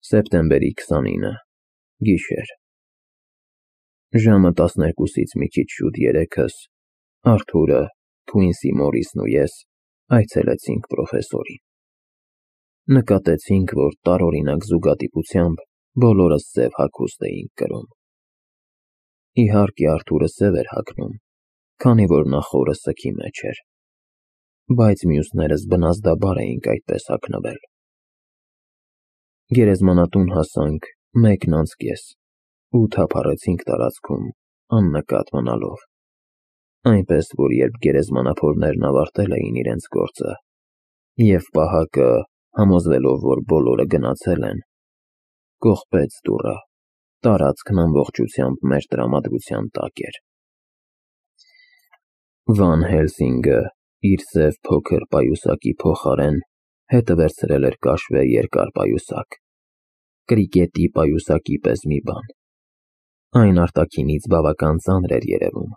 Սեպտեմբերի 29, գիշեր։ Ժամը 12-ից մի քիչ շուտ 3-ս Արթուրը, Քվինսի Մորիսն ու ես այցելեցինք պրոֆեսորին։ Նկատեցինք, որ տարօրինակ զուգադիպությամբ բոլորս սև հագուստ էինք կրում։ Իհարկե Արթուրը սև էր հագնում, քանի որ նա խորը սգի մեջ էր, բայց մյուսներս բնազդաբար էինք այդպես հագնվել։ Գերեզմանատուն հասանք 1:30 ու թափառեցինք տարածքում աննկատ մնալով, այնպես որ երբ գերեզմանափորներն ավարտել էին իրենց գործը, և պահակը, համոզվելով, որ բոլորը գնացել են, կողպեց դուռը, տարածքն ամբողջությամբ մեր տրամադրության տակ էր։ Վան Հելսինգը իր սև փոքր պայուսակի փոխարեն հետը վերցրել էր կաշվե երկար պայուսակ, կրիկետի պայուսակի պես մի բան։ Այն արտաքինից բավական ծանր էր երևում։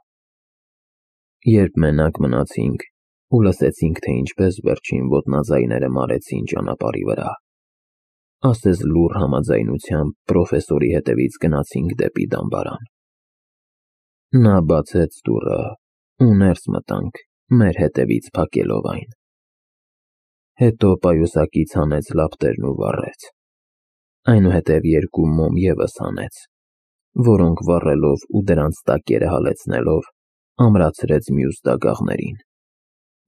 Երբ մենակ մնացինք ու լսեցինք, թե ինչպես վերջին ոտնաձայները մարեցին ճանապարհի վրա, ասես լուռ համաձայնությամբ պրոֆեսորի հետևից գնացինք դեպի դամբարան։ Նա բացեց դուռը ու ներս մտանք, մեր հետևից փակելով այն։ Հետո պայուսակից հանեց լապտերն ու վառեց, այնուհետև երկու մոմ ևս հանեց, որոնք վառելով ու դրանց տակերը հալեցնելով ամրացրեց մյուս դագաղներին,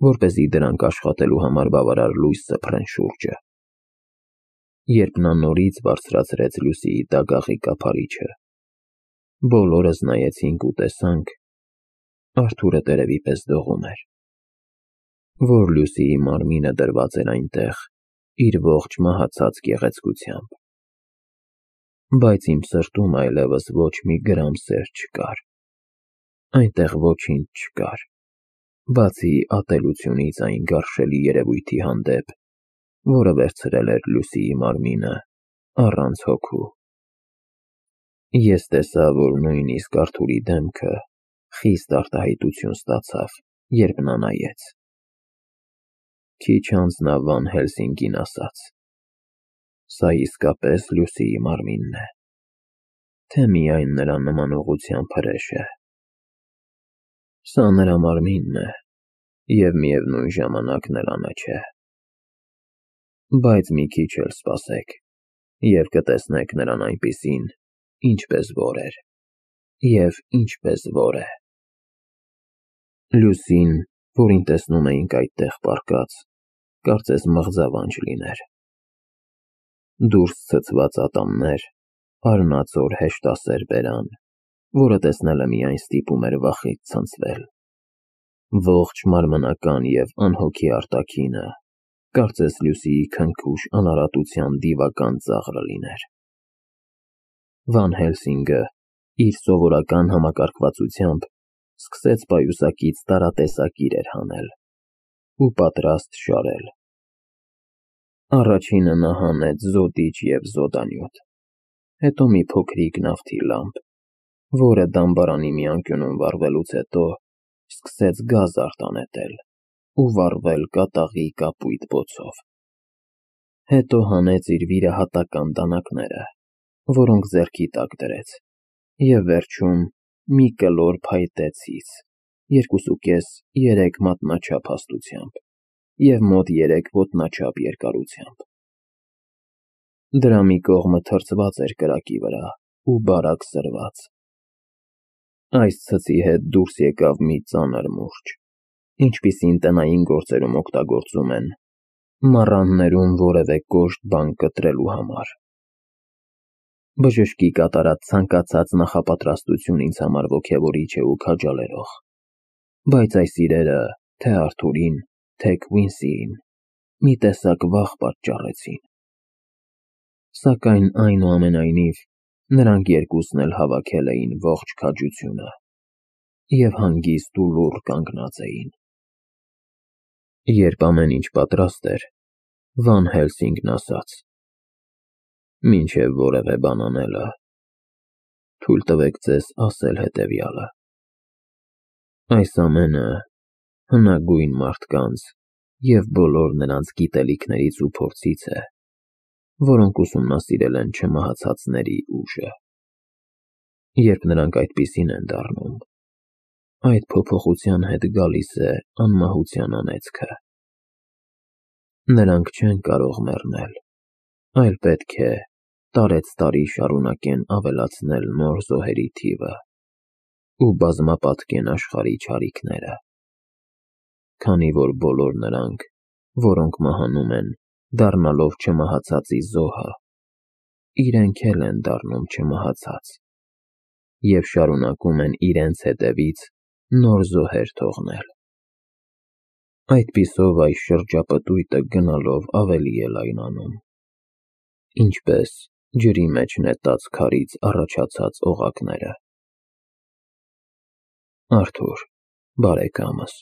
որպեսզի դրանք աշխատելու համար բավարար լույս սփռեն շուրջը։ Երբ նա նորից բարձրացրեց լույսի դագաղի կափարիչը, բոլորս նայեցինք ու տեսանք, Արթուրը տերևի պես դողում էր, որ Լուսիի մարմինը դրված էր այնտեղ իր ողջ մահացած գեղեցկությամբ, բայց իմ սրտում այլևս ոչ մի գրամ սեր չկար, այնտեղ ոչինչ չկար, բացի ատելությունից այն գարշելի երևույթի հանդեպ, որը վերցրել էր Լուսիի մարմինը առանց հոգու։ Ես տեսա, որ նույնիսկ Արթուրի դեմքը խիստ արտահայտություն ստացավ, երբ նա նայեց։ Քիչ անց նա Վան Հելսինգին ասաց. «Սա իսկապես Լուսիի մարմինն է, թե միայն նրա նմանողությամբ հրեշ է»։ Սա նրա մարմինն է, և միևնույն ժամանակ նրանը չէ։ Բայց մի քիչ էլ սպասեք, և կտեսնեք նրան այնպիսին, ինչպես որ էր, և ինչպես որ է։ Լուսին, որին տեսնում էինք այդտեղ պառկած, կարծես մղձավանջ լիներ։ Դուրս ցցված ատամներ, արնածոր հեշտասեր բերան, որը տեսնելը միայն ստիպում էր վախից ցնցվել։ Ողջ մարմնական և անհոգի արտաքինը, կարծես Լուսիի քնքուշ անարատության դիվական ծաղրը լիներ։ Վան Հելսինգը իր սովորական համակարգվածությամբ սկսեց պայուսակից տարատեսակ իրեր հանել ու պատրաստ շարել։ Առաջինը նա հանեց զոդիչ և զոդանյութ, հետո մի փոքրիկ նավթի լամպ, որը դամբարանի մի անկյունում վառվելուց հետո սկսեց գազ արտանետել ու վառվել կատաղի կապույտ բոցով։ Հետո հանեց իր վիրահատական դանակները, որոնք ձեռքի տակ դրեց, և վերջում մի կլոր փայտե ցից, 2.5-3 մատնաչափ հաստությամբ և մոտ 3 ոտնաչափ երկարությամբ։ Դրա մի կողմը թրծված էր կրակի վրա ու բարակ սրված։ Այս ցծի հետ դուրս եկավ մի ծանր մուրճ, ինչպիսին տնային գործերում օգտագործում են մառաններում որևէ կոշտ բան կտրելու համար։ Բժշկի կատարած ցանկացած նախապատրաստություն ինձ համար ոգևորիչ է ու քաջալերող, բայց այս իրերը թե Արթուրին, թե Քվինսիին մի տեսակ վախ պատճառեցին։ Սակայն այնուամենայնիվ նրանք երկուսն էլ հավաքել էին ողջ քաջությունը և հանգիստ ու լուռ կանգնած էին։ Երբ ամեն ինչ պատրաստ էր, Վան Հելսինգն ասաց. «Մինչև որևէ բան անելը, թույլ տվեք ձեզ ասել հետևյալը. այս ամենը հնագույն մարդկանց և բոլոր նրանց գիտելիքներից ու փորձից է, որոնք ուսումնասիրել են չմահացածների ուժը։ Երբ նրանք այդպիսին են դառնում, այդ փոփոխության հետ գալիս է անմահության անեծքը։ Նրանք չեն կարող մեռնել, այլ պետք է տարեցտարի շարունակեն ավելացնել նոր զոհերի թիվը ու բազմապատկեն աշխարհի չարիքները, քանի որ բոլոր նրանք, որոնք մահանում են, դառնալով չմահացածի զոհը, իրենք էլ են դառնում չմահացած և շարունակում են իրենց հետևից նոր զոհեր թողնել։ Այդպիսով այս շրջապտույտը գնալով ավելի է լայնանում, ինչպես ջրի մեջ նետած քարից առաջացած օղակները։ Արթուր, բարեկամս,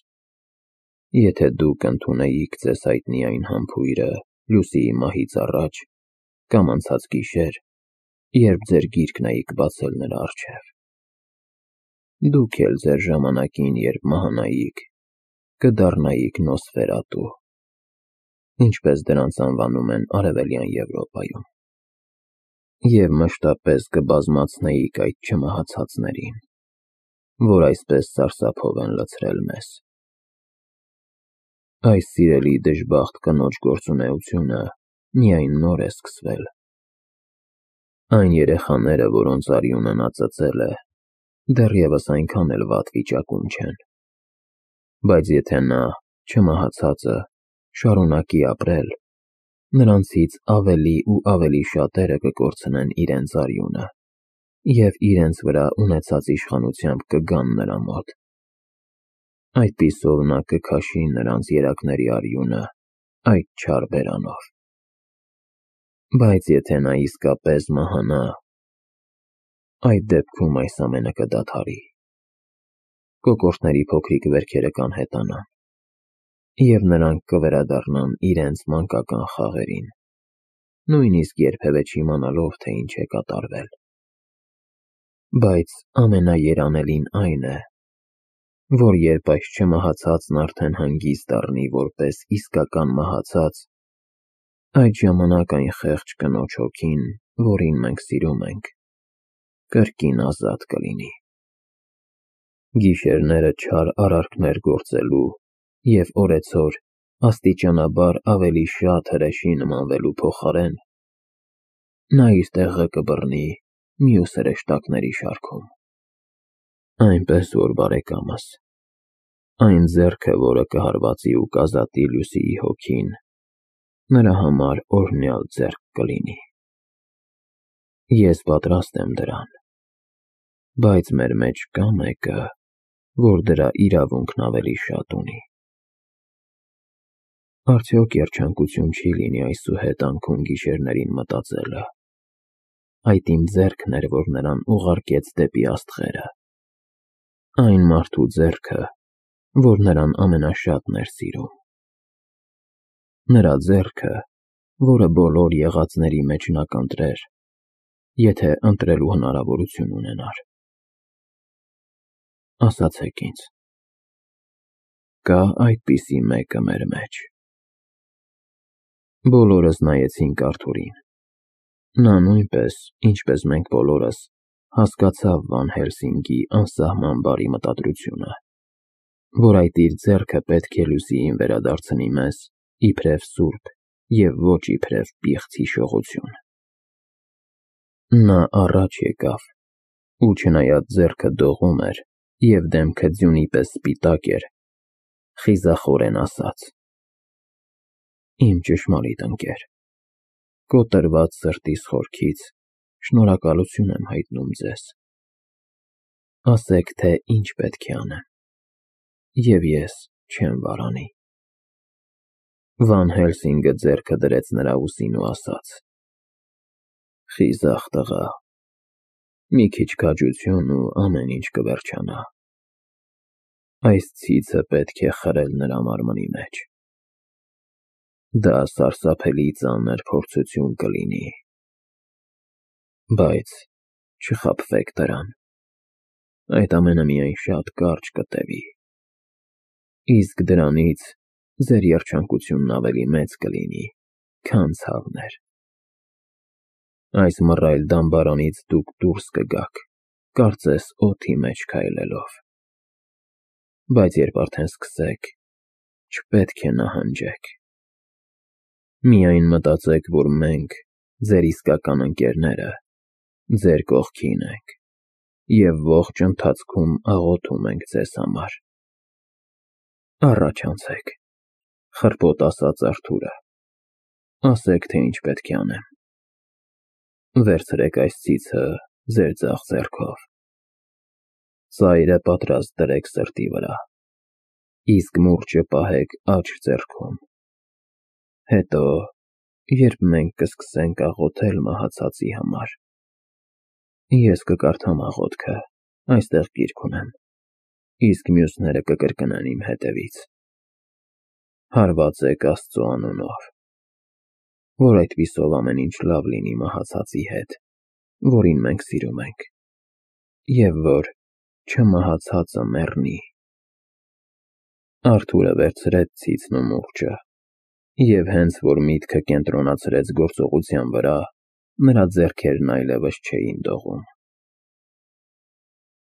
եթե դուք ընդունեիք ձեզ հայտնի այն համբույրը Լուսիի մահից առաջ կամ անցած գիշեր, երբ ձեր գիրկն էիք բացել նրա առջև, դուք էլ ձեր ժամանակին, երբ մահանայիք, կդառնայիք Նոսֆերատու, ինչպես դրանց անվանում են Արևելյան Եվրոպայում, և մշտապես կբազմացնեիք այդ չմահացածներին, որ այսպես սարսափով են լցրել մեզ։ Այս սիրելի դժբախտ կնոջ գործունեությունը միայն նոր է սկսվել։ Այն երեխաները, որոնց արյունը նա ծծել է, դեռևս այնքան էլ վատ վիճակում չեն, բայց եթե նա, չմահացածը, շարունակի ապրել, նրանցից ավելի ու ավելի շատերը կկորցնեն իրենց արյունը և իրենց վրա ունեցած իշխանությամբ կգան նրա մոտ։ Այդպիսով նա կքաշի նրանց երակների արյունը այդ չար բերանով։ Բայց եթե նա իսկապես մահանա, այդ դեպքում այս ամենը կդադարի։ Կոկորդների փոքրիկ վերքերը կանհետանան, և նրանք կվերադառնան իրենց մանկական խաղերին, նույնիսկ երբևէ չիմանալով, թե ինչ է կատարվել։ Բայց ամենաերանելին այն է, որ երբ այս չմահացածն արդեն հանգիստ դառնի որպես իսկական մահացած, այդ ժամանակ այն խեղճ կնոջ հոգին, որին մենք սիրում ենք, կրկին ազատ կլինի։ Գիշերները չար արարքներ գործելու և օրեցօր աստիճանաբար ավելի շատ հրեշի նմանվելու փոխարեն, նա իր տեղը կբռնի մյուս հրեշտակների շարքում։ Այնպես որ, բարեկամս, այն ձեռքը, որը կհարվածի ու կազատի Լուսիի հոգին, նրա համար օրհնյալ ձեռք կլինի։ Ես պատրաստ եմ դրան, բայց մեր մեջ կա մեկը, որ դրա իրավունքն ավելի շատ ունի։ Արդյոք երջանկություն չի լինի այսուհետ անքուն գիշերներին մտածելը։ Այդ իմ ձեռքն էր, որ նրան ուղարկեց դեպի աստղերը։ Այն մարդու ձեռքը, որ նրան ամենաշատն էր սիրում։ Նրա ձեռքը, որը բոլոր եղածների մեջ նա կընտրեր, եթե ընտրելու հնարավորություն ունենար։ Ասացեք ինձ, կա այդպիսի մեկը մեր մեջ։ Բոլորս նայեցինք Արթուրին։ Նա նույնպես, ինչպես մենք բոլորս, հասկացավ Վան Հելսինգի անսահման բարի մտադրությունը, որ այդ իր ձեռքը պետք է Լուսիին վերադարձնի մեզ իբրև սուրբ և ոչ իբրև պիղծ հիշողություն։ Նա առաջ եկավ ու չնայած ձեռքը դողում էր և դեմքը ձյունի պես սպիտակ էր, խիզախորեն ասաց. «Իմ ճշմարիտ ընկեր, կոտրված սրտիս խորքից շնորհակալություն եմ հայտնում ձեզ։ Ասեք, թե ինչ պետք է անեմ, և ես չեմ վարանի»։ Վան Հելսինգը ձեռքը դրեց նրա ուսին ու ասաց. «Խիզախ տղա, մի քիչ քաջություն ու ամեն ինչ կվերջանա։ Այս ցիցը պետք է խրել նրա մարմնի մեջ։ Դա սարսափելի ծանր փորձություն կլինի, բայց չխաբվեք դրան, այդ ամենը միայն շատ կարճ կտևի, իսկ դրանից ձեր երջանկությունն ավելի մեծ կլինի, քան ցավն էր։ Այս մռայլ դամբարանից դուք դուրս կգաք, կարծես օդի մեջ քայլելով։ Բայց երբ արդեն սկսեք, չպետք է նահանջեք։ Միայն մտածեք, որ մենք, ձեր իսկական ընկերները, ձեր կողքին ենք և ողջ ընթացքում աղոթում ենք ձեզ համար։ Առաջ անցեք, խռպոտ ասաց Արթուրը, ասեք, թե ինչ պետք է անեմ։ Վերցրեք այս ցիցը ձեր ձախ ձեռքով, ծայրը պատրաստ դրեք սրտի վրա, իսկ մուրճը պահեք աջ ձեռքում։ Հետո, երբ մենք կսկսենք աղոթել մահացածի համար, ես կկարդամ աղոթքը, այստեղ գիրք ունեմ, իսկ մյուսները կկրկնեն իմ հետևից։ Հարվածեք Աստծո անունով, որ այդպիսով ամեն ինչ լավ լինի մահացածի հետ, որին մենք սիրում ենք, և որ չմահացածը մեռնի։ Արթուրը վերցրեց ցիցն ու մուրճը, և հենց որ միտքը կենտրոնացրեց գործողության վրա, նրա ձեռքերն այլևս չէին դողում։